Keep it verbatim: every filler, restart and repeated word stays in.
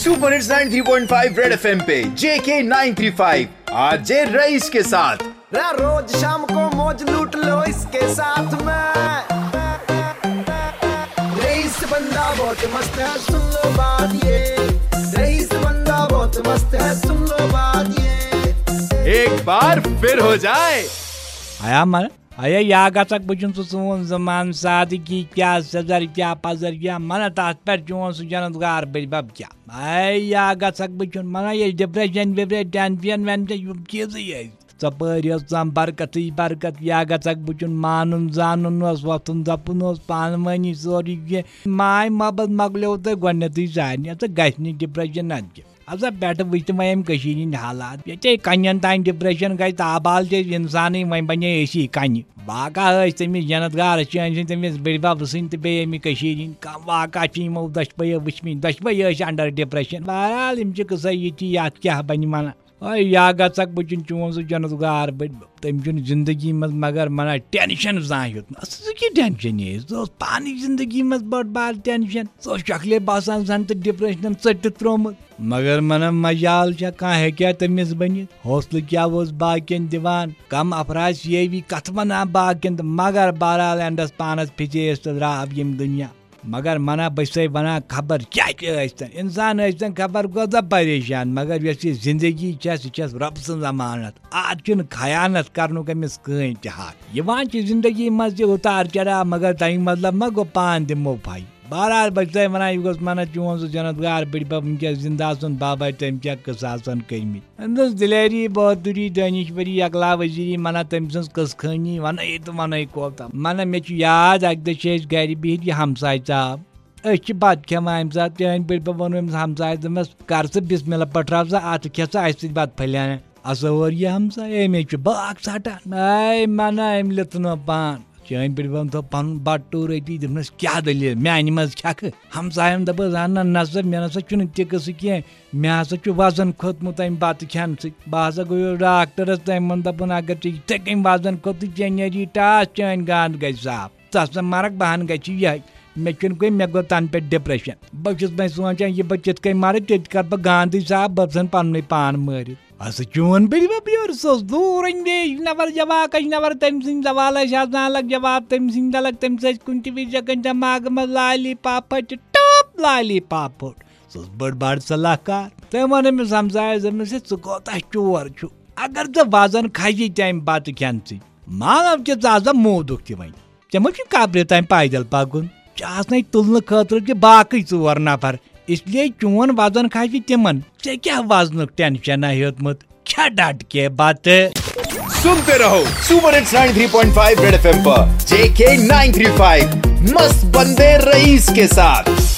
Super hits ninety three point five red F M पे J K nine three five R J Raees के साथ। रा रोज शाम को मौज लूट लो इसके साथ में। रईस बंदा बहुत मस्त है, सुन लो बात ये। रईस बंदा बहुत मस्त है, सुन लो बात ये। एक बार फिर हो जाए। आया मन आया या गचक बुझुन सु सोन जमान सादगी क्या सजर क्या पजर क्या मन तात पर जोन सु जनत गार बज बब क्या। आया गचक बुझुन मन ये डिप्रेशन विप्रेशन टेंशन वेंशन युम चीज ये। ژۄپٲرۍ ٲس ژم برکتٕے برکت یا گژھکھ بہٕ چھُن مانُن زانُن اوس وۄتھُن دَپُن اوس پانہٕ وٲنی سورُے کینٛہہ ماے محبت مۄکلیو تۄہہِ گۄڈٕنیتھٕے سارنٕے ژٕ گژھِ نہٕ ڈپریشن نتہٕ کیٛاہ۔ اَسا پٮ۪ٹھٕ وٕچھ تہٕ وۄنۍ یِم کٔشیٖرِ ہِنٛدۍ حالات ییٚتہِ کَنٮ۪ن تام ڈپریشن گژھِ تابال چھِ أسۍ اِنسانٕے وۄنۍ بَنے أسی کَنہِ۔ واقعہ ٲسۍ تٔمِس جنت گار أسۍ چھِ أمۍ سٕنٛدۍ تٔمِس بٔڈۍ بب سٕنٛدۍ تہٕ بیٚیہِ اَمہِ کٔشیٖرِ ہِنٛدۍ کَم واقعہ چھِ یِمو دۄشوَیو وٕچھمٕتۍ دۄشوَے ٲسۍ under depression۔ بہرحال یِم چھِ قٕصے یِتھی یَتھ کیٛاہ بَنہِ وَنان۔ اے یا گژھکھ بہٕ چھُن چون سُہ جنت گار بٔڈۍ بب تٔمۍ چھُنہٕ زندگی منٛز مگر مَنا ٹینشن زانٛہہ ہیوٚتمُت۔ اَصٕل سُہ کیٛاہ ٹینشن یہِ سُہ اوس پانٕے زندگی منٛز بٔڑ بار ٹینشن۔ سُہ اوس شکلے باسان زن تہٕ ڈپریشنن ژٔٹِتھ ترٛوومُت۔ مگر مَنا مجال چھا کانٛہہ ہیٚکیٛاہ تٔمِس بٔنِتھ؟ حوصلہٕ کیٛاہ اوس باقین دِوان؟ کم افراد سیوی کتھ ونان باقین تہٕ مگر بہرحال اینڈس پانس پھِچے أسۍ تہٕ درٛاو ییٚمہِ دُنیا۔ مگر مَنا بہٕ چھسے ونان خبر کیٛاہ تہِ ٲسۍتن انسان ٲسۍتن خبر کوٗتاہ پریشان مگر یۄس یہِ زندگی چھےٚ سُہ چھس رۄب سٕنٛز امانت۔ اتھ چھُنہٕ خیانت کرنُک أمِس کٕہٕنۍ تہِ حق۔ یِوان چھِ زندگی منٛز تہِ اُتار چڑاو مگر تمیُک مطلب ما گوٚو پان دِمو پھے۔ بہرحال بہٕ چھسے ونان یہِ گوٚژھ مَنا چون سُہ جنت گار بٔڈۍ بب وٕنکیٚس زندٕ آسُن بابا تٔمۍ کیٛاہ قٕصہٕ آسن کٔرمٕتۍ۔ أمۍ دِژ دلیری بہادری دٲنِشوری یکلا وزیری مَنا تٔمۍ سٕنٛز قٕصہٕ خٲنی وَنَے تہٕ وَنَے کوتاہ۔ مَنا مےٚ چھُ یاد اَکہِ دۄہ چھِ أسۍ گَرِ بِہِتھ یہِ ہمساے صاحب۔ أسۍ چھِ بَتہٕ کھٮ۪وان اَمہِ ساتہٕ چٲنۍ بٔڈۍ بَب ووٚن أمِس ہمسایَس دوٚپمَس کَر ژٕ بِسمِ اللہ پٔٹھراو سا اَتھٕ کھےٚ ژٕ اَسہِ سۭتۍ بَتہٕ پھٔلۍ ہَنا۔ ہسا اور یہِ ہمساے أمۍ چھُ باغ ژَٹان۔ اے مَنا أمۍ لیوٚتھ نہٕ پان۔ چٲنۍ بٔڈۍ بَبَن تھوٚو پَنُن بَٹہٕ ٹوٗر أتی دوٚپنَس کیٛاہ دٔلیٖل میٛانہِ منٛز کھٮ۪کھٕ؟ ہمسایَن دوٚپُس اَہَن نہ نہ سا مےٚ نہ سا چھُنہٕ تہِ قٕصہٕ کینٛہہ۔ مےٚ ہسا چھُ وزن کھوٚتمُت امہِ بتہٕ کھٮ۪نہٕ سۭتۍ۔ بہٕ ہسا گوٚیُس ڈاکٹرس تٔمۍ ووٚن دپُن اگر ژےٚ یِتھے کٔنۍ وزن کھوٚتُے ژےٚ نیری ٹاس چٲنۍ گانٛد گژھِ صاف۔ ژٕ ہسا مرکھ بہن گژھِ یِہے۔ مےٚ چھُنہٕ کُنہِ مےٚ گوٚو تنہٕ پٮ۪ٹھ ڈپریشن۔ بہٕ چھُس وۄنۍ سونٛچان یہِ بہٕ کِتھ کٔنۍ مرٕ تیٚتہِ کرٕ بہٕ گانٛدٕے صاف بہٕ ژھٕنہٕ پننُے پان مٲرِتھ۔ ہسا چون بٔڈِ بب یورٕ سُہ اوس دوٗر اندیش نفر جواکش نفر تٔمۍ سٕنٛدۍ سوالس چھِ آسان الگ جواب تٔمۍ سٕنٛدۍ الگ تٔمِس ٲسۍ کُنہِ تہِ وِزِ جگن دٮ۪ماغہٕ منٛز لالی پاپا چھِ ٹاپ لالی پاپا۔ سُہ اوس بٔڑ بار صلاح کار۔ تٔمۍ ووٚن أمِس ہمسایَس دوٚپنَس ہے ژٕ کوتاہ چور چھُکھ؟ اگر ژےٚ وزن کھسہِ تمہِ بتہٕ کھٮ۪نہٕ سۭتۍ مانو کہِ ژٕ آسا موٗدُکھ تہِ وۄنۍ۔ ژےٚ ما چھُے قبرِ تام پیدل پکُن؟ ژےٚ آسنے تُلنہٕ خٲطرٕ تہِ باقٕے ژور نفر۔ اس لیے چون وزن کھسہِ تِمن۔ ژےٚ کیٛاہ وزنُک ٹینشنا ہیوٚتمُت؟ کھےٚ ڈٹ کے بتہٕ۔ सुनते रहो super hits ninety three point five red FM पर जेके नाइन थ्री फ़ाइव मस्त बंदे रईस के साथ।